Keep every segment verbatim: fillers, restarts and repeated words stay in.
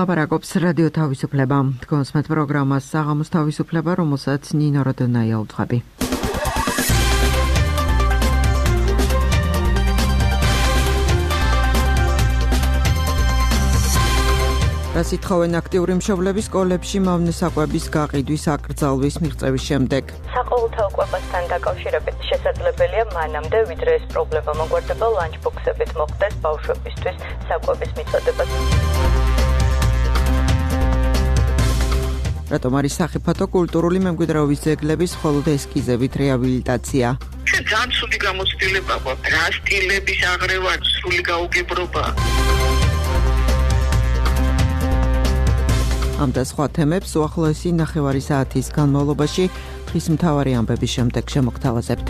ლაპარაკობს რადიო თავისუფლება. თქვენს met პროგრამას საღამოს თავისუფლება, რომელსაც ნინო როდონაია უძღვები. რასით ხოვენ აქტიური მშობლები სკოლებში მავნე საკვების გაყიდვის აკრძალვის მიღწევის შემდეგ. საყოველთაო კვებასთან დაკავშირებით შესაძლებელია მანამდე, ვიდრე ეს პრობლემა მოგვარდება, ლანჩბოქსებით მოხდეს ბავშვებისთვის საკვების მიწოდება. რატომ არის სახიფათო კულტურული მემკვიდრეობის ძეგლების მხოლოდ ესკიზებით რეაბილიტაცია? ძალიან ცუდი გამოცდილება გვაქვს. რა სტილების აღრევა, სრული გაუგებრობა. ამ და სხვა თემებს უახლოესი ნახევარი საათის განმავლობაში დღის მთავარი ამბების შემდეგ შემოგთავაზებთ.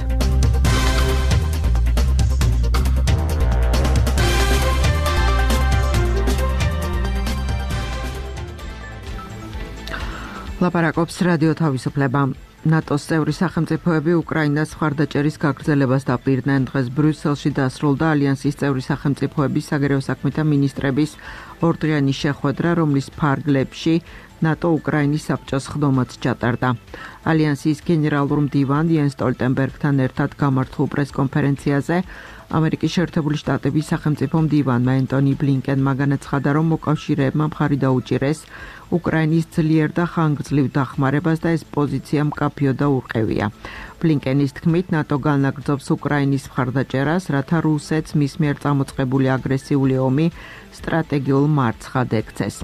ლაპარაკობს რადიო თავისუფლება. ნატოს წევრი სახელმწიფოები უკრაინას მხარდაჭერის გაგრძელებას დაპირდნენ. დღეს ბრიუსელში დასრულდა ალიანსის წევრი სახელმწიფოების საგარეო საქმეთა მინისტრების ორდღიანი შეხვედრა, რომლის ფარგლებში ნატო უკრაინის საბჭოს ხდომაც ჩატარდა. ალიანსის გენერალურ მდივან იენს სტოლტენბერგთან ერთად გამართულ პრესკონფერენციაზე ამერიკის შეერთებული შტატების სახელმწიფო მდივანმა ენტონი ბლინკენმა განაცხადა, რომ მოკავშირეებმა მხარი დაუჭირეს უკრაინის ძლიერ და ხანგრძლივ დახმარებას და ეს პოზიცია მკაფიო და ურყევია. ბლინკენის თქმით, ნატო განაგრძობს უკრაინის მხარდაჭერას, რათა რუსეთს მის მიერ წამოწყებული აგრესიული ომი სტრატეგიულ მარცხად ექცეს.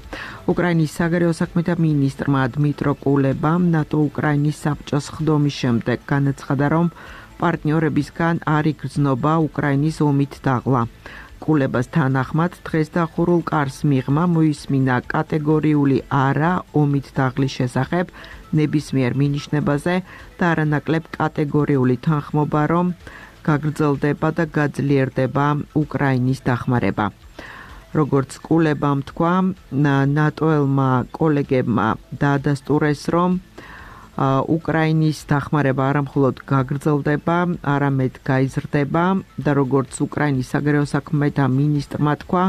უკრაინის საგარეო საქმეთა მინისტრმა დმიტრო კულებამ ნატო უკრაინის საბჭოს ხდომის შემდეგ განაცხადა, რომ პარტნიორებისგან არ იგრძნობა უკრაინის ომით დაღლა. კულებას თანახმად დღეს დახურულ კარს მიღმა მოისმინა კატეგორიული არა ომით დაღლის შესახებ ნებისმიერ მინიშნებაზე და არანაკლებ კატეგორიული თანხმობა, რომ გაგრძელდება და გაძლიერდება უკრაინის დახმარება. როგორც კულებამ თქვა, ნატოელმა კოლეგებმა დაადასტურეს, რომ უკრაინის დახმარება არამხოლოდ გაგრძელდება, არამედ გაიზრდება და როგორც უკრაინის საგარეო საქმეთა მინისტრმა თქვა,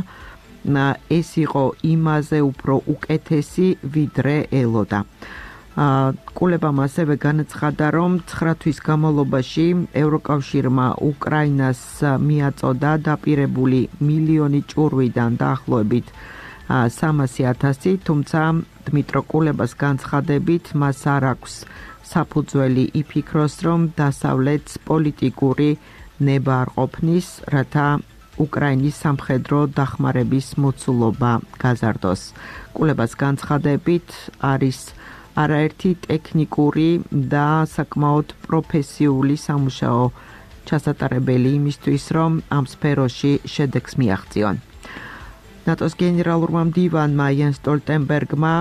ეს იყო იმაზე უფრო უკეთესი, ვიდრე ელოდა. კულებამ ასევე განაცხადა, რომ ცხრა თვის განმავლობაში ევროკავშირმა უკრაინას მიაწოდა დაპირებული მილიონი ჭურვიდან დაახლოებით სამასი ათასი, თუმცა დმიტრო კულებას განცხადებით მას არ აქვს საფუძველი იფიქროს, რომ დასავლეთს პოლიტიკური ნება არ ყოფნის, რათა უკრაინის სამხედრო დახმარების მოცულობა გაზარდოს. კულებას განცხადებით არის არაერთი ტექნიკური და საკმაოდ პროფესიული სამუშაო ჩასატარებელი იმისთვის, რომ ამ სფეროში შედეგს მიაღწიონ. ნატოს გენერალურმა მდივანმა იენს სტოლტენბერგმა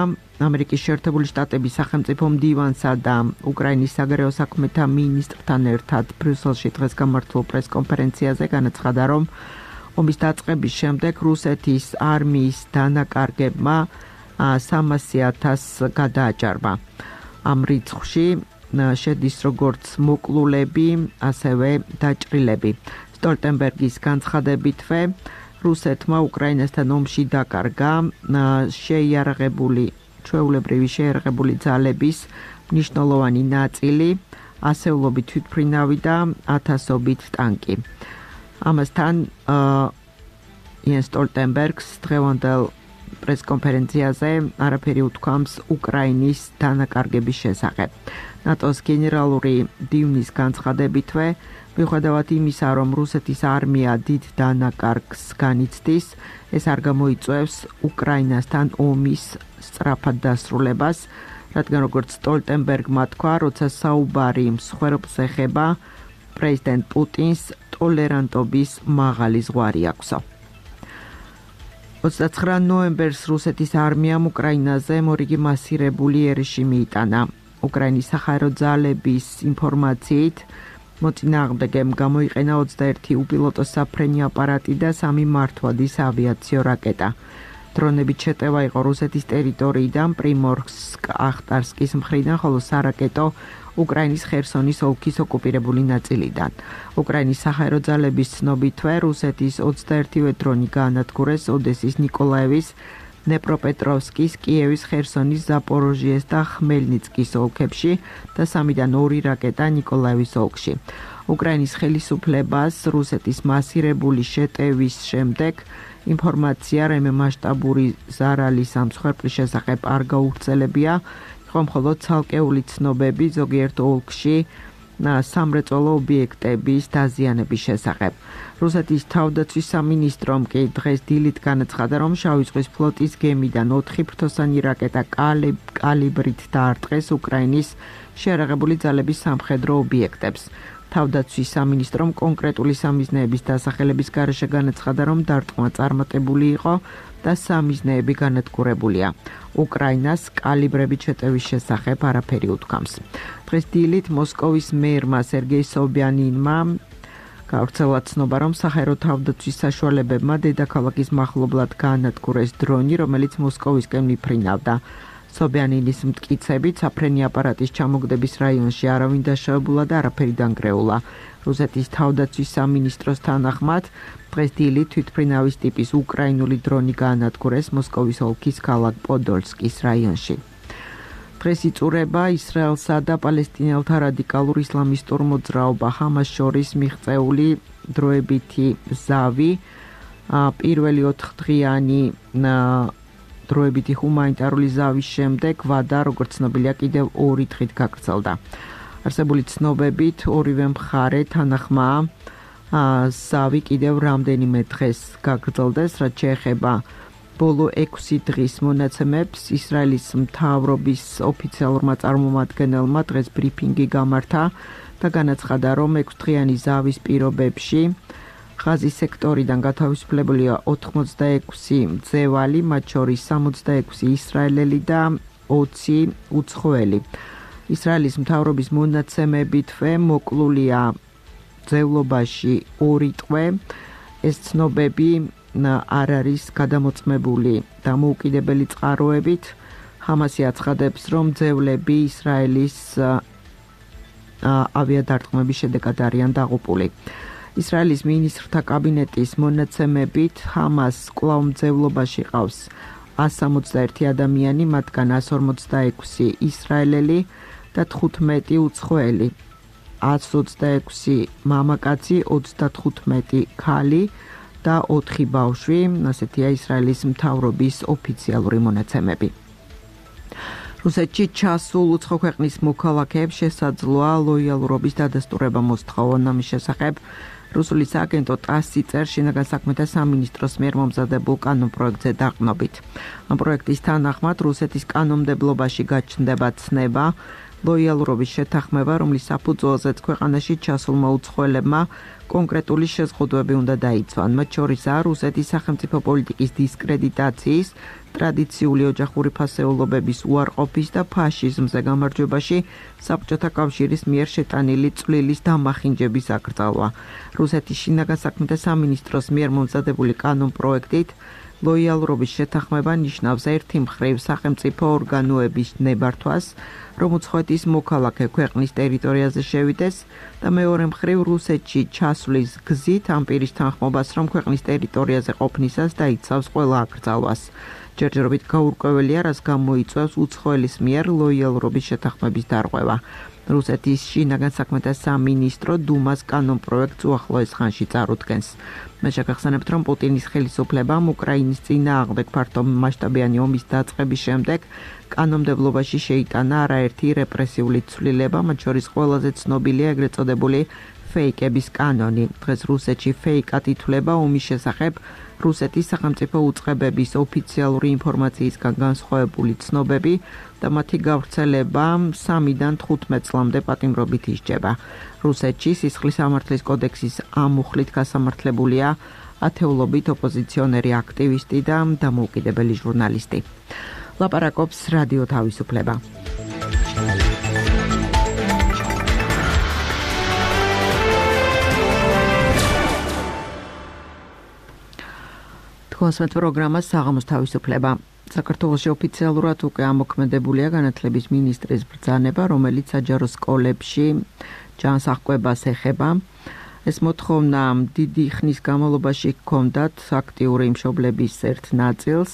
ამერიკის შეერთებული შტატების სახელმწიფო მდივანსა და უკრაინის საგარეო საქმეთა მინისტრთან ერთად ბრიუსელში დღეს გამართულ პრესკონფერენციაზე განაცხადა, რომ ომის დაწყების შემდეგ რუსეთის არმიის დანაკარგებმა სამასი ათასს გადააჭარბა. ამ რიცხვში შედის როგორც მოკლულები, ასევე დაჭრილები. სტოლტენბერგის განცხადებითვე რუსეთმა უკრაინასთან ომში დაკარგა შეიარაღებული ჩვეულებრივი შეიარაღებული ძალების მნიშვნელოვანი ნაწილი, ასეულობით თვითმფრინავი და ათასობით ტანკი. ამასთან იენს სტოლტენბერგს დღევანდელ პრესკონფერენციაზე არაფერი უთქვამს უკრაინის დანაკარგების შესახებ. ნატოს გენერალური მდივნის განცხადებითვე, მიუხედავად იმისა, რომ რუსეთის არმია დიდ დანაკარგს განიცდის, ეს არ გამოიწვევს უკრაინასთან ომის სწრაფად დასრულებას, რადგან როგორც სტოლტენბერგმა თქვა, როცა საუბარი მსხვერპლს ეხება, პრეზიდენტ პუტინს ტოლერანტობის მაღალი ზღვარი აქვსო. ოცდაცხრა ნოემბერს რუსეთის არმიამ უკრაინაზე მორიგი მასირებული ერიში მიიტანა. უკრაინის საჰაერო ძალების ინფორმაციით, მოწინააღმდეგემ გამოიყენა ოცდაერთი უპილოტო საფრენი აპარატი და სამი მართვადის ავიაციო რაკეტა. დრონებით შეტევა იყო რუსეთის ტერიტორიიდან პრიმორსკ-ახტარსკის მხრიდან, ხოლო სარაკეტო უკრაინის ხერსონის ოლქის ოკუპირებული ნაწილიდან. უკრაინის საჰაერო ძალების ცნობითვე რუსეთის ოცდაერთივე დრონი გაანადგურეს ოდესის ნიკოლაევის ნეპროპეტროვსკის, კიევის, ხერსონის, ზაპოროჟიეს და ხმელნიცკის ოლქებში და სამიდან ორი რაკეტა ნიკოლაევის ოლქში. უკრაინის ხელისუფლებას რუსეთის მასირებული შეტევის შემდეგ ინფორმაცია რემე მასშტაბური ზარალის ამ მსხვერპლის შესახებ არ გაუვრცელებია, იყო მხოლოდ ცალკეული ცნობები ზოგიერთ ოლქში სამრეწველო ობიექტების დაზიანების შესახებ. რუსეთის თავდაცვის სამინისტრომ კი დღეს დილით განაცხადა, რომ შავი ზღვის ფლოტის გემიდან ოთხი ფრთოსანი რაკეტა კალიბრით დაარტყეს უკრაინის შეიარაღებული ძალების სამხედრო ობიექტებს. თავდაცვის სამინისტრომ კონკრეტული სამიზნეების დასახელების გარეშე განაცხადა, რომ დარტყმა წარმატებული იყო და სამიზნეები განადგურებულია. უკრაინას კალიბრებით შეტევის შესახებ არაფერი უთქვამს. დღეს დილით მოსკოვის მერმა სერგეი სობიანინმა გავრცელა ცნობა, რომ საჰაერო თავდაცვის საშუალებებმა დედაქალაქის მახლობლად გაანადგურეს დრონი, რომელიც მოსკოვისკენ მიფრინავდა. სობიანინის მტკიცებით, საფრენი აპარატის ჩამოგდების რაიონში არავინ დაშავებულა და არაფერი დანგრეულა. რუსეთის თავდაცვის სამინისტროს თანახმად, დღეს დილით თვითმფრინავის ტიპის უკრაინული დრონი გაანადგურეს მოსკოვის ოლქის ქალაქ პოდოლსკის რაიონში. დღეს იწურება ისრაელსა და პალესტინელთა რადიკალურ ისლამისტურ მოძრაობა ჰამას შორის მიღწეული დროებითი ზავი, პირველი ოთხდღიანი დროებითი ჰუმანიტარული ზავის შემდეგ ვადა, როგორც ცნობილია, კიდევ ორი დღით გაგრძელდა. არსებული ცნობებით, ორივე მხარე თანახმაა ზავი კიდევ რამდენიმე დღეს გაგრძელდეს, რაც შეეხება ბოლო ექვსი დღის მონაცემებს. ისრაელის მთავრობის ოფიციალურმა წარმომადგენელმა დღეს ბრიფინგი გამართა და განაცხადა, რომ ექვსდღიანი ზავის პირობებში ღაზის სექტორიდან გათავისუფლებულია ოთხმოცდაექვსი მძევალი, მათ შორის სამოცდაექვსი ისრაელელი და ოცი უცხოელი. ისრაელის მთავრობის მონაცემებითვე მოკლულია მძევლობაში ორი ტყვე. ეს ცნობები არ არის გადამოწმებული დამოუკიდებელი წყაროებით. ჰამასი აცხადებს, რომ მძევლები ისრაელის ავიადარტყმების შედეგად არიან დაღუპული. ისრაელის მინისტრთა კაბინეტის მონაცემებით ჰამას კვლავ მძევლობაში ყავს ას სამოცდაერთი ადამიანი, მათგან ას ორმოცდაექვსი ისრაელელი და თხუთმეტი უცხოელი. ას ოცდაექვსი მამაკაცი, ოცდათხუთმეტი ქალი და ოთხი ბავშვი, ასეთია ისრაელის მთავრობის ოფიციალური მონაცემები. რუსეთში ჩასულ უცხო ქვეყნის მოქალაქეებს შესაძლოა ლოიალურობის დადასტურება მოსთხოვონ. ამის შესახებ რუსული სააგენტო ტასი წერს შინაგან საქმეთა სამინისტროს მიერ მომზადებულ კანონპროექტზე დაყრდნობით. ამ პროექტის თანახმად რუსეთის კანონმდებლობაში გაჩნდება ცნება ლოიალურობის შეთანხმება, რომლის საფუძველზეც ქვეყანაში ჩასულმა უცხოელებმა კონკრეტული შეზღუდვები უნდა დაიცვან. მათ შორისაა რუსეთის სახელმწიფო პოლიტიკის დისკრედიტაციის, ტრადიციული ოჯახური ფასეულობების უარყოფის და ფაშიზმზე გამარჯვებაში საბჭოთა კავშირის მიერ შეტანილი წვლილის დამახინჯების აკრძალვა. რუსეთის შინაგან საქმეთა სამინისტროს მიერ მომზადებული კანონპროექტით ლოიალურობის შეთანხმება ნიშნავს ერთი მხრივ სახელმწიფო ორგანოების ნებართვას, რომ უცხოეთის მოქალაქე ქვეყნის ტერიტორიაზე შევიდეს და მეორე მხრივ რუსეთში ჩასვლის გზით ამ პირის თანხმობას, რომ ქვეყნის ტერიტორიაზე ყოფნისას დაიცავს ყველა აკრძალვას. ჯერჯერობით გაურკვეველია, რაც გამოიწვევს უცხოელის მიერ ლოიალურობის შეთანხმების დარღვევა. რუსეთის შინაგან საქმეთა სამინისტრო დუმას კანონპროექტს უახლოეს ხანში წარუდგენს. მე შეგახსენებთ, რომ პუტინის ხელისუფლებამ უკრაინის წინააღმდეგ ფართო მასშტაბიანი ომის დაწყების შემდეგ კანონმდებლობაში შეიტანა არაერთი რეპრესიული ცვლილება, მათ შორის ყველაზე ცნობილია ეგრეთ წოდებული ფეიკების კანონი. დღეს რუსეთში ფეიკად ითვლება ომის შესახებ რუსეთის სახელმწიფო უწყებების ოფიციალური ინფორმაციისგან განსხვავებული ცნობები და მათი გავრცელება სამიდან თხუთმეტ წლამდე პატიმრობით ისჯება. რუსეთში სისხლის სამართლის კოდექსის ამ მუხლით გასამართლებულია ათეულობით ოპოზიციონერი აქტივისტი და დამოუკიდებელი ჟურნალისტი. ლაპარაკობს რადიო თავისუფლება. კონსვეთ პროგრამა საღამოს თავისუფლება. საქართველოში ოფიციალურად უკვე ამოქმედებულია განათლების მინისტრის ბრძანება, რომელიც საჯარო სკოლებში ჯანსაღკვებას ეხება. ეს მოთხოვნა დიდი ხნის განმავლობაში ჰქონდათ აქტიური მშობლების ერთ ნაწილს.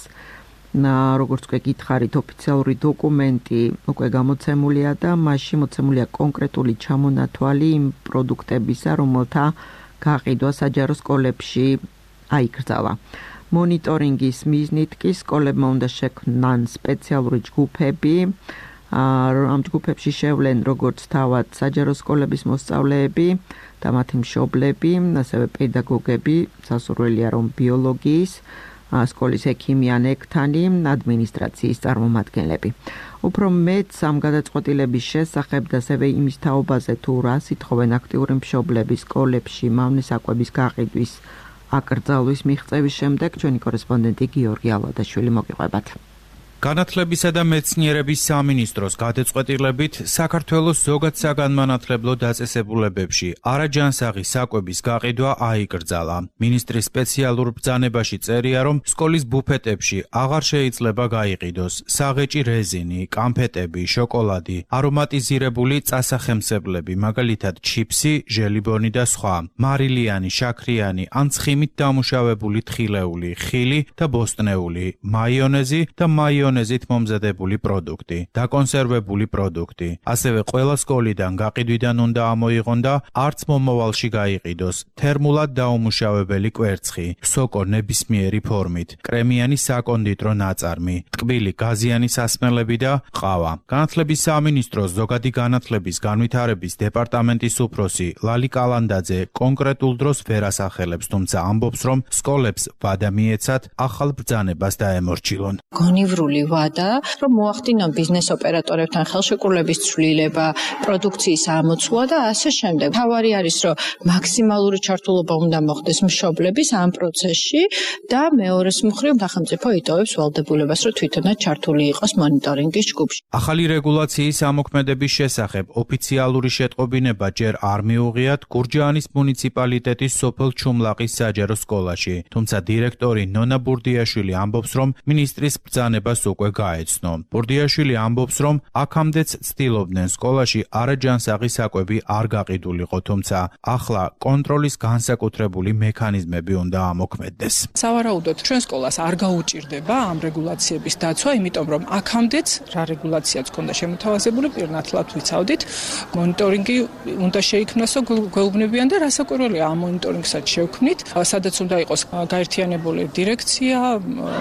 როგორც უკვე გითხარით, ოფიციალური დოკუმენტი უკვე გამოცემულია და მასში მოცემულია კონკრეტული ჩამონათვალი იმ პროდუქტებისა, რომელთა გაყიდვა საჯარო სკოლებში აიკრძალა. მონიტორინგის მიზნით კი სკოლებმა უნდა შექმნან სპეციალური ჯგუფები, ამ ჯგუფებში შევლენ როგორც თავად საჯარო სკოლების მოსწავლეები და მათი მშობლები, ასევე პედაგოგები, სასურველია რომ ბიოლოგიის, სკოლის ექიმი ან ექთანი, ადმინისტრაციის წარმომადგენლები. უფრო მეტ ამ გადაწყვეტილების შესახებ და ასევე იმის თაობაზე თუ რას ითხოვენ აქტიური მშობლები სკოლებში მავნე საკვების გაყიდვის აკრძალვის მიღწევის შემდეგ ჩვენი კორესპონდენტი გიორგი ალვადაშვილი მოგიყვებათ. განათლებისა და მეცნიერების სამინისტროს გადაწყვეტილებით საქართველოს ზოგად საგანმანათლებლო დაწესებულებებში არაჯანსაღი საკვების გაყიდვა აიკრძალა. მინისტრის სპეციალურ ბრძანებაში წერია, რომ სკოლის ბუფეტებში აღარ შეიძლება გაიყიდოს საღეჭი რეზინი, კამფეტები, შოკოლადი, არომატიზირებული წასახემსებლები, მაგალითად ჩიფსი, ჟელიბონი და სხვა, მარილიანი, შაქრიანი ან ცხიმით დამუშავებული თხილეული, ხილი და ბოსტნეული, მაიონეზი და მაიონეზი ზით მომზადებული პროდუქტი, დაკონსერვებული პროდუქტი. ასევე ყველა სკოლიდან გაყიდვიდან უნდა ამოიღონ და არც მომავალში გაიყიდოს თერმულად დაუმუშავებელი კვერცხი, სოკო ნებისმიერი ფორმით, კრემიანი საკონდიტრო ნაწარმი, ტკბილი გაზიანი სასმელები და ყავა. განათლების სამინისტროს ზოგადი განათლების განვითარების დეპარტამენტის უფროსი ლალი კალანდაძე კონკრეტულ დროს ვერ ასახელებს, თუმცა ამბობს, რომ სკოლებს ვადა მიეცათ ახალ ბრძანებას დაემორჩილონ. გონივრული ვადა, რომ მოახდინონ ბიზნეს ოპერატორებთან ხელშეკრულების ცვლილება, პროდუქციის ამოცვლა და ასე შემდეგ. თავარი არის, რომ მაქსიმალური ჩართულობა უნდა მოხდეს მშობლების ამ პროცესში და მეორეს მხრივ სახელმწიფო იტოვებს ვალდებულებას, რომ თვითონაც ჩართული იყოს მონიტორინგის ჯგუფში. ახალი რეგულაციის ამოქმედების შესახებ ოფიციალური შეტყობინება ჯერ არ მიუღიათ გურჯაანის მუნიციპალიტეტის სოფელ ჩუმლაყის საჯარო სკოლაში, თუმცა დირექტორი ნონა ბურდიაშვილი ამბობს, რომ მინისტრის ბრძანებას უკვე გაეცნო. ბურდიაშვილი ამბობს, რომ აქამდეც ცდილობდნენ სკოლაში არაჯანსაღი საკვები არ გაყიდულიყო, თუმცა ახლა კონტროლის განსაკუთრებული მექანიზმები უნდა ამოქმედდეს. სავარაუდოდ ჩვენ სკოლას არ გაუჭირდება ამ რეგულაციების დაცვა, იმიტომ რომ აქამდეც რა რეგულაციაც ქონდა შემოთავაზებული, პირნათლად ვიცავდით, მონიტორინგი უნდა შეიქმნას, გვეუბნებიან და რასაკვირველია ამ მონიტორინგსაც შევქმნით, სადაც უნდა იყოს გაერთიანებული დირექცია,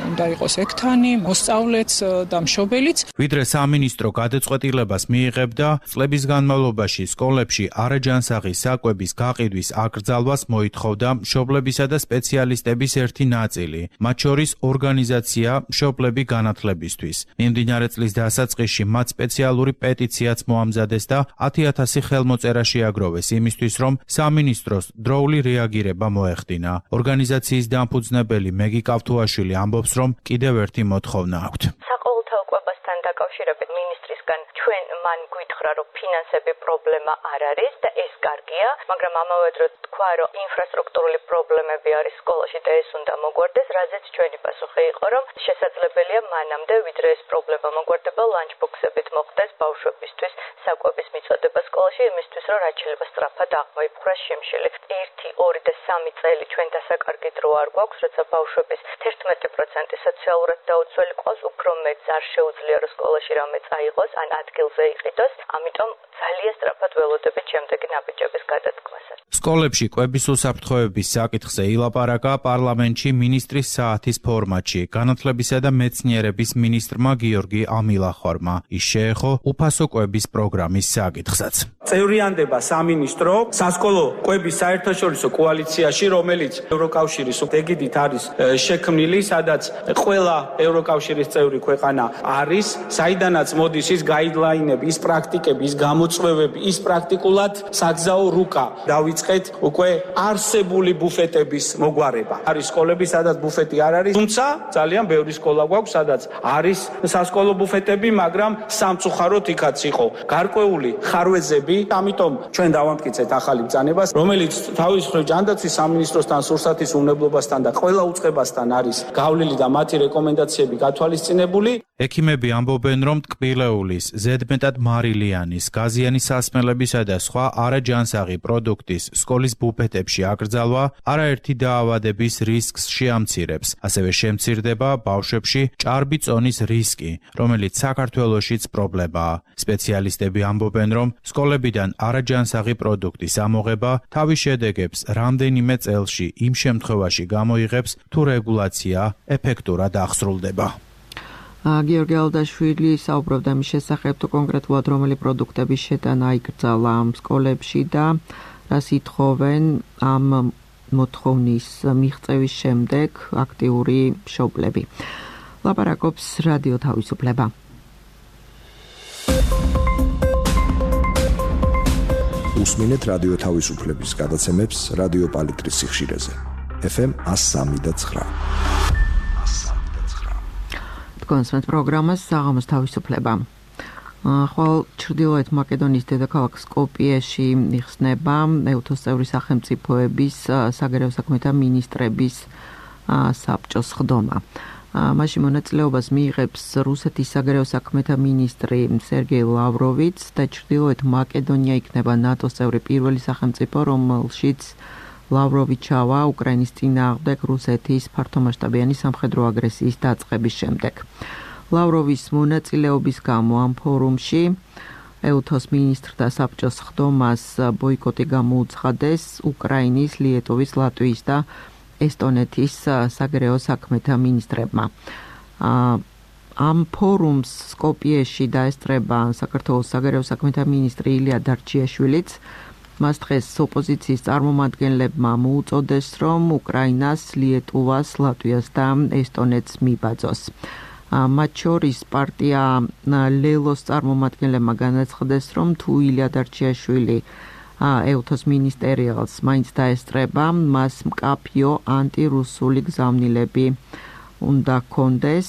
უნდა იყოს ექთანი, მოსწავლეც და მშობელიც. ვიდრე სამინისტრო გადაწყვეტილებას მიიღებდა, წლების განმავლობაში სკოლებში არაჯანსაღი საკვების გაყიდვის აკრძალვას მოითხოვდა მშობლებისა და სპეციალისტების ერთი ნაწილი, მათ შორის ორგანიზაცია მშობლები განათლებისთვის. მიმდინარე წლის დასაწყისში მათ სპეციალური პეტიციაც მოამზადეს და ათი ათასი ხელმოწერა შეაგროვეს იმისთვის, რომ სამინისტროს დროული რეაგირება მოეხდინა. ორგანიზაციის დამფუძნებელი მეგი კავთუაშვილი ამბობს, რომ კიდევ ერთი მოთხოვნა აქვთ. საყოველთაო კვებასთან დაკავშირებით მინისტრისგან ჩვენ მან გვითხრა, რომ ფინანსები პრობლემა არ არის და ეს კარგია, მაგრამ ამავე დროს თქვა, რომ ინფრასტრუქტურული პრობლემები არის სკოლაში და ეს უნდა მოგვარდეს, რაზეც ჩვენი პასუხი იყო, რომ შესაძლებელია მანამდე, ვიდრე ეს პრობლემა მოგვარდება, ლანჩბოქსებით მოხდეს ბავშვებისთვის საკვების მიწოდება სკოლაში, იმისთვის, რომ რაც შეიძლება სწრაფად აღმოიფხვრას შიმშილი. ერთი, ორი და სამი წელი ჩვენ დასაკარგი დრო არ გვაქვს, როცა ბავშვების თერთმეტი პროცენტი სოციალურად დაუცველი ყავს, უფრო მეც არ შეუძლია, რომ სკოლაში რამე წაიღოს, ან ადგილზე იყიდოს, ამიტომ ძალიან სწრაფად ველოდებით შემდეგი ნაბიჯების გადადგმასაც. სკოლებში კვების უსაფრთხოების საკითხზე ილაპარაკა პარლამენტში მინისტრის საათის ფორმატში განათლებისა და მეცნიერების მინისტრმა გიორგი ამილახვარმა. ის შეეხო უფასო კვების პროგრამის საკითხსაც. წევრიანდება სამინისტრო სასკოლო კვების საერთაშორისო კოალიციაში, რომელიც ევროკავშირის ეგიდით არის შექმნილი, სადაც ყველა ევროკავშირის წევრი ქვეყანა არის, საიდანაც მოდის ის გაიდლაინები, ის პრაქტიკები, ის გამოწვევები, ის პრაქტიკულად საგზაო რუკა დავიწყეთ უკვე არსებული ბუფეტების მოგვარება. არის სკოლები, სადაც ბუფეტი არ არის, თუმცა ძალიან ბევრი სკოლა გვაქვს, სადაც არის სასკოლო ბუფეტები, მაგრამ სამწუხაროდ იქაც იყო გარკვეული ხარვეზები, ამიტომ ჩვენ დავამტკიცეთ ახალი ბრძანებას, რომელიც თავის მხრივ ჯანდაცვის სამინისტროსთან, სურსათის უნებლობასთან და ყველა უწყებასთან არის გავლილი და მათი რეკომენდაციები გათვალისწინებული. ექიმები ამბობენ, რომ ტკბილეულის, ზედმეტად მარილიანის, გაზიანის სასმელებისა და სხვა არაჯანსაღი პროდუქტის სკოლის ბუფეტებში აკრძალვა არაერთი დაავადების რისკს შეამცირებს. ასევე შემცირდება ბავშვებში ჭარბი წონის რისკი, რომელიც საქართველოშიც პრობლემაა. სპეციალისტები ამბობენ, რომ სკოლებიდან არაჯანსაღი პროდუქტის ამოღება თავის შედეგებს რამდენიმე წელში იმ შემთხვევაში გამოიღებს, თუ რეგულაცია ეფექტურად აღსრულდება. გიორგი ალდაშვილი საუბრობდა მის შესახებ, თუ კონკრეტულად რომელი პროდუქტების შეტანა იკრძალა სკოლებში და რას ითხოვენ ამ მოთხოვნის მიღწევის შემდეგ აქტიური მშობლები. ლაპარაკობს რადიო თავისუფლება. უსმინეთ რადიო თავისუფლების გადაცემებს რადიო პალიტრის სიხშირეზე. ეფ ემ one oh three point nine. კონსმეთ პროგრამას საღამოს თავისუფლება. ხვალ ჩრდილოეთ მაკედონიის დედაქალაქ სკოპიეში იხსნება ეუთოს წევრი სახელმწიფოების საგარეო საქმეთა მინისტრების საბჭოს ხდომა. მაშინ მონაწილეობას მიიღებს რუსეთის საგარეო საქმეთა მინისტრი სერგეი ლავროვიც და ჩრდილოეთ მაკედონია იქნება ნატოს წევრი პირველი სახელმწიფო, რომელშიც ლავროვი ჩავა უკრაინის წინააღმდეგ რუსეთის ფართომასშტაბიანი სამხედრო აგრესიის დაწყების შემდეგ. ლავროვის მონაწილეობის გამო ამ ფორუმში ეუთოს მინისტრთა საბჭოს ხდომას ბოიკოტი გამოუცხადეს უკრაინის, ლიეტოვის, ლატვიის და ესტონეთის საგარეო საქმეთა მინისტრებმა. ამ ფორუმს სკოპიეში დაესწრება საქართველოს საგარეო საქმეთა მინისტრი ილია დარჩიაშვილიც. მას დღეს ოპოზიციის წარმომადგენლებმა მოუწოდეს, რომ უკრაინას, ლიეტუვას, ლატვიას და ესტონეთს მიბაძოს. მათ შორის პარტია ლელოს წარმომადგენლებმა განაცხადეს, რომ თუ ილია დარჩიაშვილი ეუთოს მინისტერიალს მაინც დაესწრება, მას მკაფიო ანტირუსული გზავნილები უნდა ჰქონდეს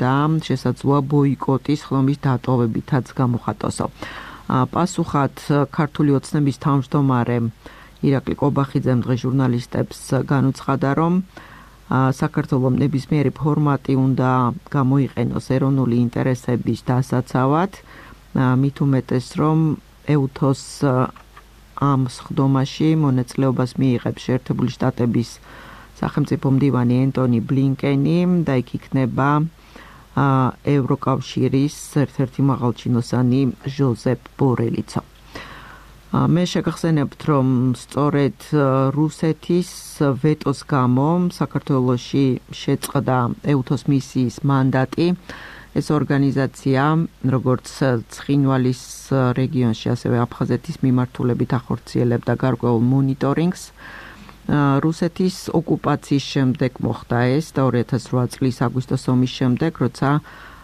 და შესაძლოა ბოიკოტის ხდომის დატოვებითაც გამოხატოსო. პასუხად ქართული ოცნების თავმჯდომარე ირაკლი კობახიძემ დღეს ჟურნალისტებს განუცხადა, რომ საქართველოს ნებისმიერი ფორმატი უნდა გამოიყენოს ეროვნული ინტერესების დასაცავად, მით უმეტეს, რომ ეუთოს ამ სხდომაში მონაწილეობას მიიღებს შეერთებული შტატების სახელმწიფო მდივანი ენტონი ბლინკენი და იქ იქნება ევროკავშირის ერთ-ერთი მაღალჩინოსანი ჟოზეფ ბორელიცო. მე შეგახსენებთ, რომ სწორედ რუსეთის ვეტოს გამო საქართველოში შეწყდა ეუთოს მისიის მანდატი. ეს ორგანიზაცია, როგორც ცხინვალის რეგიონში, ასევე აფხაზეთის მიმართულებით ახორციელებდა გარკვეულ მონიტორინგს. რუსეთის ოკუპაციის შემდეგ მოხდა ეს და ორი ათას რვა წლის აგვისტოს ომის შემდეგ, როცა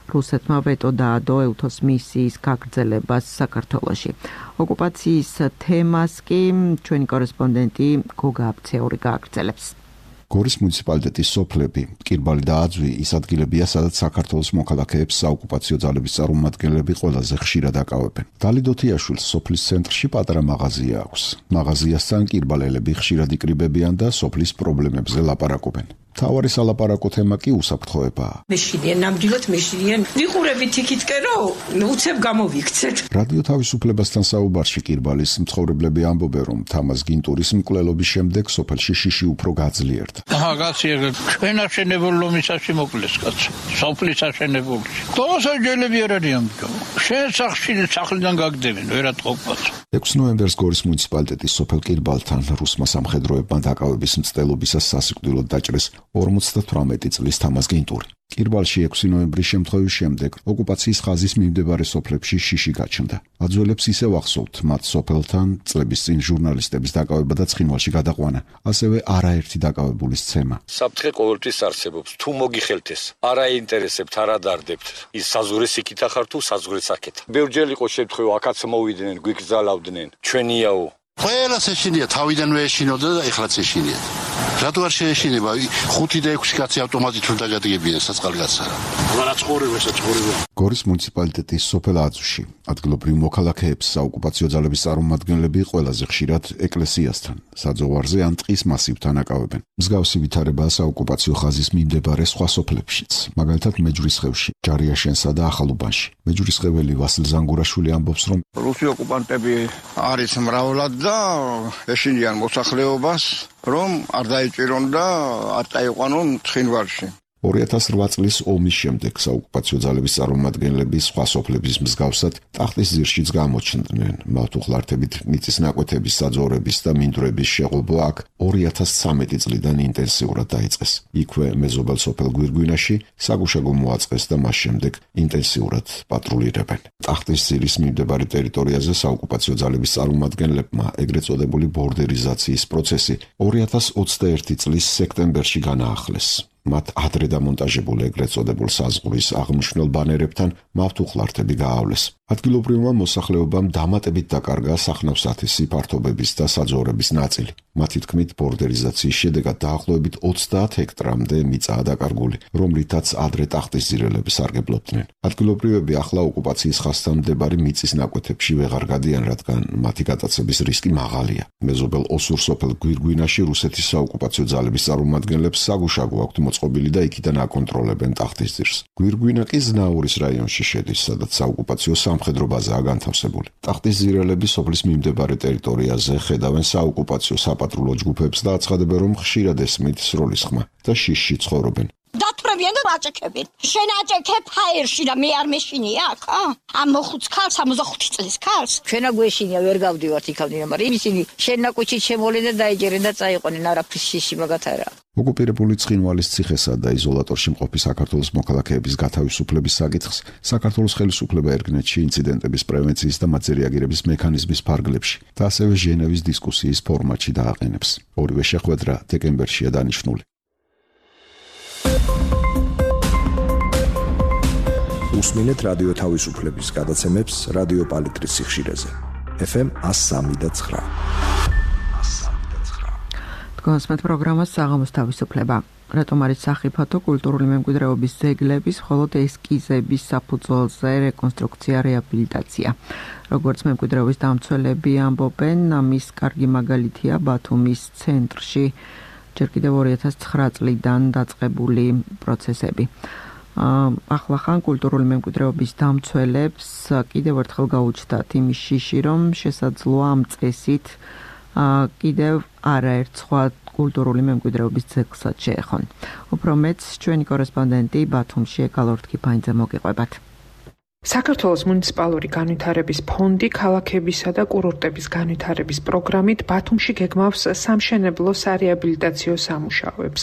რუსეთმა ვეტო დაადო ეუთოს მისიის გაგრძელებას საქართველოში. ოკუპაციის თემას კი ჩვენი კორესპონდენტი გოგა აბცეული გააგრძელებს. გორის მუნიციპალიტეტის სოფლები, კირბალი და აძვი ის ადგილებია, სადაც საქართველოს მოქალაქეებს საოკუპაციო ძალების წარმომადგენლები ყველაზე ხშირად აკავებენ. დალი დოთიაშვილს სოფლის ცენტრში პატარა მაღაზია აქვს. მაღაზიასთან კირბალელები ხშირად იკრიბებიან და სოფლის პრობლემებზე ლაპარაკობენ. თავარი სალაპარაკო თემა კი უსაფრთხოებაა. მეშინიან, ნამდვილად მეშინიან. ვიყურებით იქითკენ, რომ უცებ გამოვიქცეთ. რადიო თავისუფლებასთან საუბარში კირბალის მცხოვრებლები ამბობენ, რომ თამაზ გინტურის მკვლელობის შემდეგ სოფელში შიში უფრო გაძლიერდა. აგაცია ჩვენ აშენებულ ლომისაში მოკლეს კაცო. სოფლის აშენებული. თოსაჯელები არ არიან. შენ სახში სახლიდან გაგდებენ, ვერატყობაც. ექვსი ნოემბერს გორის მუნიციპალიტეტის სოფელ კირბალთან რუსმა სამხედროებმა დაკავების მცდელობისას სასიკვდილოდ დაჭრეს ორმოცდათვრამეტი წლის თამაზ გინტური. კირბალში ექვსი ნოემბრის შემთხვევის შემდეგ ოკუპაციის ხაზის მიმდებარე სოფლებში შიში გაჩნდა. აძველებს ისევ ახსოვთ მათ სოფელთან წლების წინ ჟურნალისტების დაკავება და ცხინვალში გადაყვანა, ასევე არაერთი დაკავებულის ცემა. საფრთხე ყოველთვის არსებობს. თუ მოგიხელთ ეს, არ აინტერესებთ, არ ადარდებთ. ის საზღვრეს იქით ახარ თუ საზღვრეს აქეთ. ბევრჯერ იყო შემთხვევა, აქაც მოვიდნენ, გვიგზალავდნენ. ჩვენიაო. ყველას ეშინია, თავიდანვე ეშინოდა და ეხლაც ეშინია. რატო არ შეეშინება ხუთი და ექვსი კაცი ავტომატით რომ დაგადგებიან საწყალგაცსა. მაგრამ ცხოვრება საწყურება. გორის მუნიციპალიტეტის სოფელ აწუში ადგილობრივ მოქალაქეებს საოკუპაციო ძალების წარმომადგენლები ყველაზე ხშირად ეკლესიასთან, საძოვარზე ან ტყის მასივთან აკავებენ. მსგავსი ვითარებაა საოკუპაციო ხაზის მიმდებარე სხვა სოფლებშიც, მაგალითად მეჯვრისხევში, ჯარიაშენსა და ახალუბანში. მეჯვრისხეველი ვასილ ზანგურაშვილი ამბობს, რომ რუსი ოკუპანტები არის მრავლად და ეშინიან მოსახლეობას, რომ არ დაიჭირონ და არ დაიყვანონ ცხინვალში. ორი ათას რვა წლის ომის შემდეგ საოკუპაციო ძალების წარმომადგენლები სხვა სოფლების მსგავსად ტახტის ძირშიც გამოჩნდნენ. მავთუხლართებით მიწის ნაკვეთების საძოვრების და მინდვრების შეღობა აქ ორი ათას ცამეტი წლიდან ინტენსიურად დაიწყეს. იქვე მეზობელ სოფელ გვირგვინაში საგუშაგო მოაწყეს და მას შემდეგ ინტენსიურად პატრულირებენ. ტახტის ძირის მიმდებარე ტერიტორიაზე საოკუპაციო ძალების წარმომადგენლებმა ეგრეთ წოდებული ბორდერიზაციის პროცესი ორი ათას ოცდაერთი წლის სექტემბერში განაახლეს. მათ ადრე დამონტაჟებულ ეგრეთ წოდებულ საზღვრის აღნიშნულ ბანერებთან მავთუხლართები გაავლეს. ადგილობრივმა მოსახლეობამ დამატებით დაკარგა სახნავსათესი ფართობების და საძოვრების ნაწილი. მათი თქმით, ბორდერიზაციის შედეგად დაახლოებით ოცდაათ ჰექტრამდე მიწაა დაკარგული, რომლითაც ადრე ტახტის ძირელები სარგებლობდნენ. ადგილობრივები ახლა ოკუპაციის ხაზთან მდებარე მიწის ნაკვეთებში ვეღარ გადიან, რადგან მათი გატაცების რისკი მაღალია. მეზობელ ოსურ სოფელ გვირგვინაში რუსეთის საოკუპაციო ძალების წარმომადგენლებს საგუშაგო აქვთ მოწყობილი და იქიდან აკონტროლებენ ტახტის ძირს. გვირგვინა კი ზნაურის რაიონში შედის, სადაც საოკუპაციო სამხედრო ბაზაა განთავსებული. ტახტის ძირელები სოფლის მიმდებარე ტერიტორიაზე ხედავენ საოკუპაციო საპატრულო ჯგუფებს და აცხადებენ, რომ ხშირად ესმით სროლის ხმა და შიშში ცხოვრობენ. დათვრებიან და აჭექებენ. შენ აჭექებ ჰაერში და მე არ მეშინი აქ, ა? ამ მოხუც ქალს, ამდახუთი წლის ქალს. ჩვენა გვეშინია, ვერ გავდივართ იქამდე, მაგრამ ისინი შენ ნაკუჩით შემოვლენ და დაიჯერენ და წაიყვნენ, არაფრის შიში მაგათ არა. ოკუპირებული ცხინვალის ციხესა და იზოლატორში მყოფი საქართველოს მოქალაქეების გათავისუფლების საკითხს საქართველოს ხელისუფლება ერგნეთში ინციდენტების პრევენციის და მათზე რეაგირების მექანიზმის ფარგლებში და ასევე ჟენევის დისკუსიის ფორმატში დააყენებს. ორივე შეხვედრა დეკემბერშია დანიშნული. უსმინეთ რადიო თავისუფლების გადაცემებს რადიო პალიტრის სიხშირეზე. ეფ ემ one oh three და nine. კონსმეთ პროგრამას საღამოს თავისუფლება. რატომ არის სახიფათო კულტურული მემკვიდრეობის ძეგლების მხოლოდ ესკიზების საფუძველზე რეკონსტრუქცია, რეაბილიტაცია. როგორც მემკვიდრეობის დამცველები ამბობენ, ამის კარგი მაგალითია ბათუმის ცენტრში ჯერ კიდევ ორი ათას ცხრა წლიდან დაწყებული პროცესები. ახლა ხან კულტურული მემკვიდრეობის დამცველებს კიდევ ერთხელ გაუჩნდათ იმის შიში, რომ შესაძლოა ამ წესით კიდევ არაერთ სხვა კულტურული მემკვიდრეობის ძეგლსაც შეეხონ. უფრო მეც ჩვენი კორესპონდენტი ბათუმში ეკალორ თქიფაინძე მოგიყვებათ. საქართველოს მუნიციპალური განვითარების ფონდი ქალაქებისა და კურორტების განვითარების პროგრამით ბათუმში გეგმავს სამშენებლო სარეაბილიტაციო სამუშაოებს.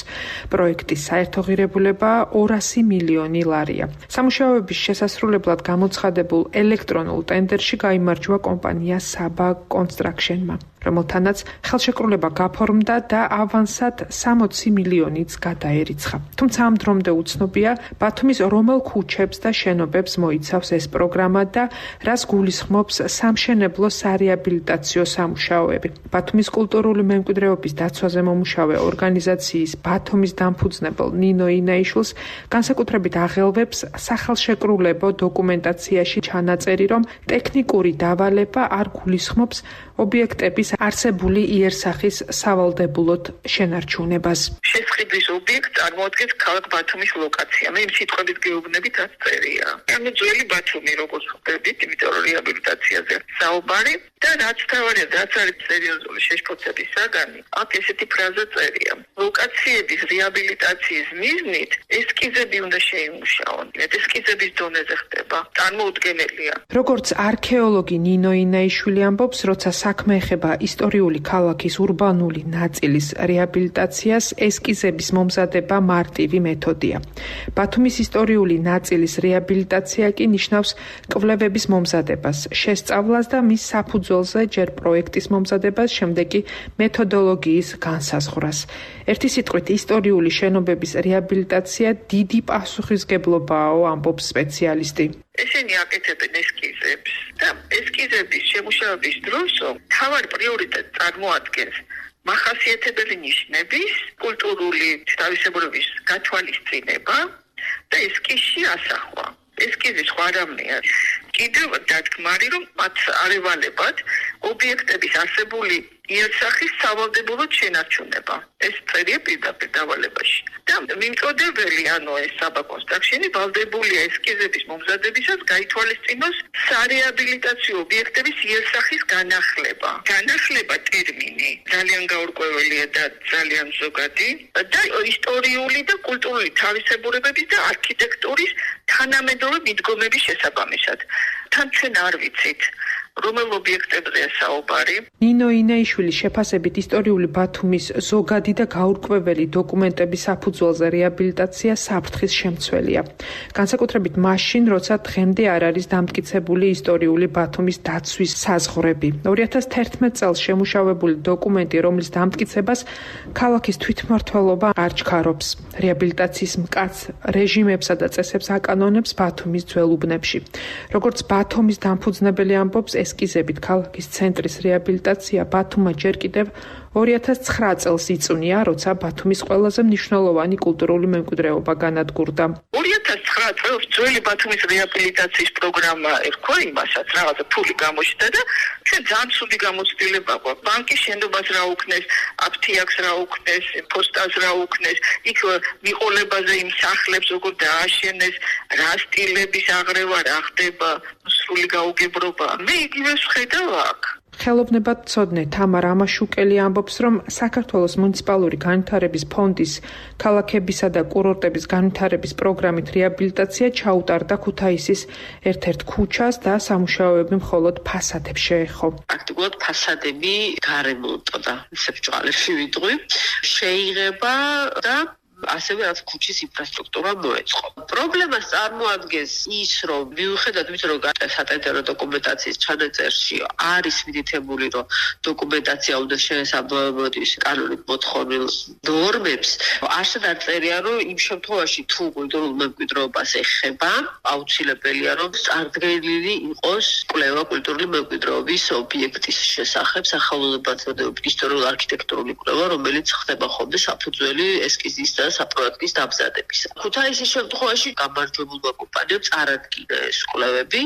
პროექტის საერთო ღირებულება ორასი მილიონი ლარია. სამუშაოების შესასრულებლად გამოცხადებულ ელექტრონულ ტენდერში გაიმარჯვა კომპანია საბა კონსტრაქშენმა, რომელთანაც ხელშეკრულება გაფორმდა და ავანსად სამოცი მილიონიც გადაერიცხა. თუმცა ამ დრომდე უცნობია, ბათუმის რომელ ქუჩებს და შენობებს მოიცავს ეს პროგრამა და რას გულისხმობს სამშენებლო სარეაბილიტაციო სამუშაოები. ბათუმის კულტურული მემკვიდრეობის დაცვაზე მომუშავე ორგანიზაციის ბათუმის დამფუძნებელ ნინო ინაიშვილს განსაკუთრებით აღელვებს სახელშეკრულებო დოკუმენტაციაში ჩანაწერი, რომ ტექნიკური დავალება არ გულისხმობს ობიექტების არსებული იერსახის სავალდებულოდ შენარჩუნებას. შესყიდვის ობიექტს წარმოადგენს ქალაქ ბათუმის ლოკაცია. მე იმ სიტყვებით გეუბნებით რაც წერია. ანუ ძველი ბათუმი როგორც ხვდებით, იმიტომ რომ რეაბილიტაციაზე საუბარი და რაც თავარია, რაც არის სერიოზული შეშფოთების საგანი, აქ ესეთი ფრაზა წერია. ლოკაციების რეაბილიტაციის მიზნით ესკიზები უნდა შეიმუშაონ. ესკიზების დონეზე ხდება. წარმოუდგენელია. როგორც არქეოლოგი ნინო ინაიშვილი ამბობს, როცა საქმე ეხება ისტორიული ქალაქის ურბანული ნაწილის რეაბილიტაციას, ესკიზების მომზადება მარტივი მეთოდია. ბათუმის ისტორიული ნაწილის რეაბილიტაცია კი ნიშნავს კვლევების მომზადებას, შესწავლას და მის საფუძველზე ჯერ პროექტის მომზადებას, შემდეგ კი მეთოდოლოგიის განსაზღვრას. ერთი სიტყვით, ისტორიული შენობების რეაბილიტაცია დიდი პასუხისგებლობაა, ამბობს სპეციალისტი. ესენი აკეთებენ ესკიზებს და ესკიზების შემუშავების დროს თავარ პრიორიტეტს წარმოადგენს მახასიათებელი ნიშნების კულტურული თავისებურების გათვალისწინება და ესკიზში ასახვა. ესკიზი სხვა რამეა. კიდევ დადგმარი, რომ მათ არ ევალებათ ობიექტების არსებული იერსახის სავალდებულო შენარჩუნება. ეს წერია პირდაპირ დავალებაში. და მიმწოდებელი, ანუ ეს საბა კონსტრაქშენი ვალდებულია ესკიზების მომზადებისას გაითვალისწინოს სარეაბილიტაციო ობიექტების იერსახის განახლება. განახლება ტერმინი ძალიან გაურკვეველია და ძალიან ზოგადი და ისტორიული და კულტურული თავისებურებების და არქიტექტურის თანამედროვე მიდგომების შესაბამისად. თან ჩვენ არ ვიცით რომელ ობიექტებზეა საუბარი. ნინო ინეიშვილის შეფასებით ისტორიული ბათუმის ზოგადი და გაურკვეველი დოკუმენტების საფუძველზე რეაბილიტაცია საფრთხის შემცველია. განსაკუთრებით მაშინ, როცა დღემდე არ არის დამტკიცებული ისტორიული ბათუმის დაცვის საზღვრები. ორი ათას თერთმეტ წელს შემუშავებული დოკუმენტი, რომლის დამტკიცებას ქალაქის თვითმმართველობა არ ჩქარობს. რეაბილიტაციის მკაც რეჟიმებსა და წესებს აკანონებს ბათუმის ძველ უბნებში. როგორც ბათუმის დამფუძნებელი ამბობს, ესკიზებით ქალაქის ცენტრის რეაბილიტაცია ბათუმმა ჯერ კიდევ ორი ათას ცხრა წელს იწვნია, როცა ბათუმის ყველაზე მნიშვნელოვანი კულტურული მემკვიდრეობა განადგურდა. ორი ათას ცხრა წელს ძველი ბათუმის რეაბილიტაციის პროგრამა ერქვა იმასაც, რაღაცა ფული გამოშთა და ჩვენ ძალიან ცუდი გამოცდილება გვაქვს. ბანკის შენობას რა უქნეს, აფთიაქს რა უქნეს, პოსტას რა უქნეს, იქ მიყოლებაზე იმ სახლებს როგორ დააშენეს, რა სტილების აღრევა რა ხდება, სრული გაუგებრობა. მე იგივე ვხედავ აქ. ხელოვნებად მცოდნე თამარ ამაშუკელი ამბობს, რომ საქართველოს მუნიციპალური განვითარების ფონდის ქალაქებისა და კურორტების განვითარების პროგრამით რეაბილიტაცია ჩაუტარდა ქუთაისის ერთ-ერთ ქუჩას და სამუშაოები მხოლოდ ფასადებს შეეხო. პრაქტიკულად ფასადები გარემონტო და ისე ბჭყალებში ვიტყვი შეიღება და ასევე რაც ქუჩის ინფრასტრუქტურა მოეწყო. პრობლემას წარმოადგენს ის, რომ მიუხედავად იმისა, რომ სატენდერო დოკუმენტაციის ჩანაწერში არის მითითებული, რომ დოკუმენტაცია უნდა შეესაბამებოდეს კანონით მოთხოვნილ ნორმებს, არსად არ წერია, რომ იმ შემთხვევაში თუ კულტურულ მემკვიდრეობას ეხება, აუცილებელია, რომ წარდგენილი იყოს კვლევა კულტურული მემკვიდრეობის ობიექტის შესახებ სახელოვნებათმცოდნეობის ისტორიულ არქიტექტურული კვლევა, რომელიც ხდება ხოლმე საფუძველი ესკიზის და საპროექტის დამზადებისა. ქუთაისის შემთხვევაში გამარჯვებულმა კომპანიამ წარადგინა ეს კვლევები,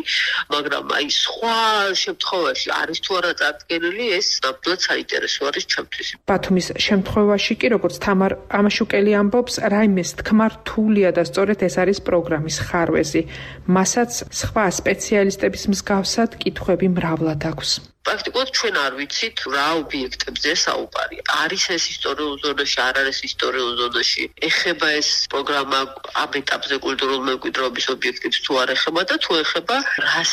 მაგრამ აი სხვა შემთხვევაში არის თუ არა წარდგენილი, ეს ნამდვილად საინტერესო არის ჩემთვის. ბათუმის შემთხვევაში კი, როგორც თამარ ამაშუკელი ამბობს, რაიმეს თქმა რთულია და სწორედ ეს არის პროგრამის ხარვეზი. მასაც სხვა სპეციალისტების მსგავსად კითხვები მრავლად აქვს. პრაქტიკულად ჩვენ არ ვიცით რა ობიექტებზე საუბარი. არის ეს ისტორიულ ზონაში, არ არის ისტორიულ ზონაში. ეხება ეს პროგრამა ამ ეტაპზე კულტურულ მემკვიდრეობის ობიექტებს თუ არ ეხება და თუ ეხება რას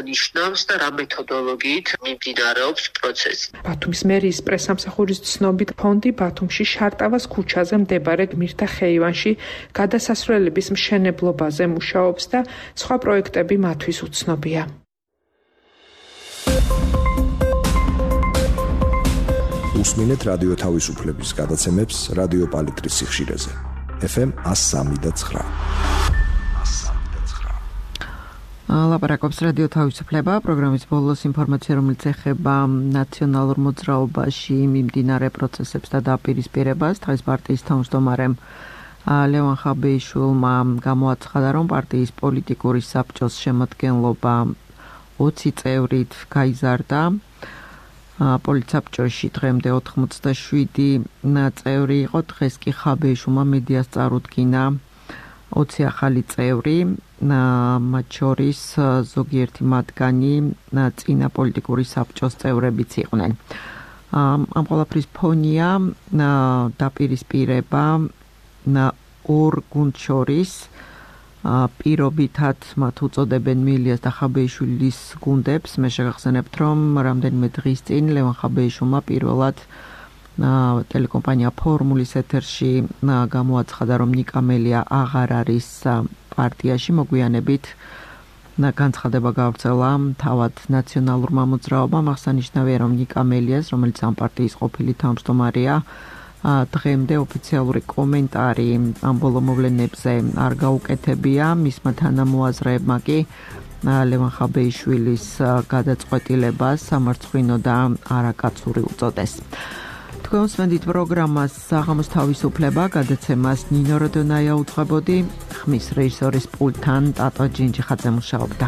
ნიშნავს და რა მეთოდოლოგიით მიმდინარეობს პროცესი. ბათუმის მერიის პრესამსახურის ცნობით, ფონდი ბათუმში შარტავას ქუჩაზე მდებარე გმირთა ხეივანში გადასასვლელების მშენებლობაზე მუშაობს და სხვა პროექტები მათთვის უცნობია. უსმინეთ რადიო თავისუფლების გადაცემებს რადიო პალიტრის სიხშირეზე. ეფ ემ one oh three point nine. ლაპარაკობს რადიო თავისუფლება, პროგრამის ბოლოს ინფორმაცია, რომელიც ეხება ნაციონალურ მოძრაობაში მიმდინარე პროცესებს და დაპირისპირებას. დღეს პარტიის თავმჯდომარემ ლევან ხაბეიშვილმა გამოაცხადა, რომ პარტიის პოლიტიკური საბჭოს შემადგენლობა ოცი წევრით გაიზარდა. პოლიტსაბჭოში დღემდე ოთხმოცდაშვიდი წევრი იყო, დღეს კი ხაბეიშვილმა მედიას წარუდგინა ოცი ახალი წევრი, მათ შორის ზოგიერთი მათგანი წინა პოლიტიკური საბჭოს წევრებიც იყვნენ. ამ ყველაფრის ფონია დაპირისპირება ორ გუნდს შორის, პირობითად მათ უწოდებენ მილიას და ხაბეიშვილის გუნდებს. მე შეგახსენებთ, რომ რამდენიმე დღის წინ ლევან ხაბეიშვილმა პირველად ტელეკომპანია ფორმულის ეთერში გამოაცხადა, რომ ნიკა მელია აღარ არის პარტიაში. მოგვიანებით განცხადება გავრცელა თავად ნაციონალურმა მოძრაობამ. აღსანიშნავია, რომ ნიკა მელიას, რომელიც ამ პარტიის ყოფილი თავმჯდომარეა, დღემდე ოფიციალური კომენტარი ამ ბოლო მოვლენებზე არ გაუკეთებია. მისმა თანამოაზრეებმა კი ლევან ხაბეიშვილის გადაწყვეტილებას სამარცხვინო და არაკაცური უწოდეს. თქვენ უსმენთ პროგრამას საღამოს თავისუფლება, გადაცემას ნინო როდონაია უძღვებოდი, ხმის რეჟისორის პულტთან ტატო ჯინჯიხაძე მუშაობდა.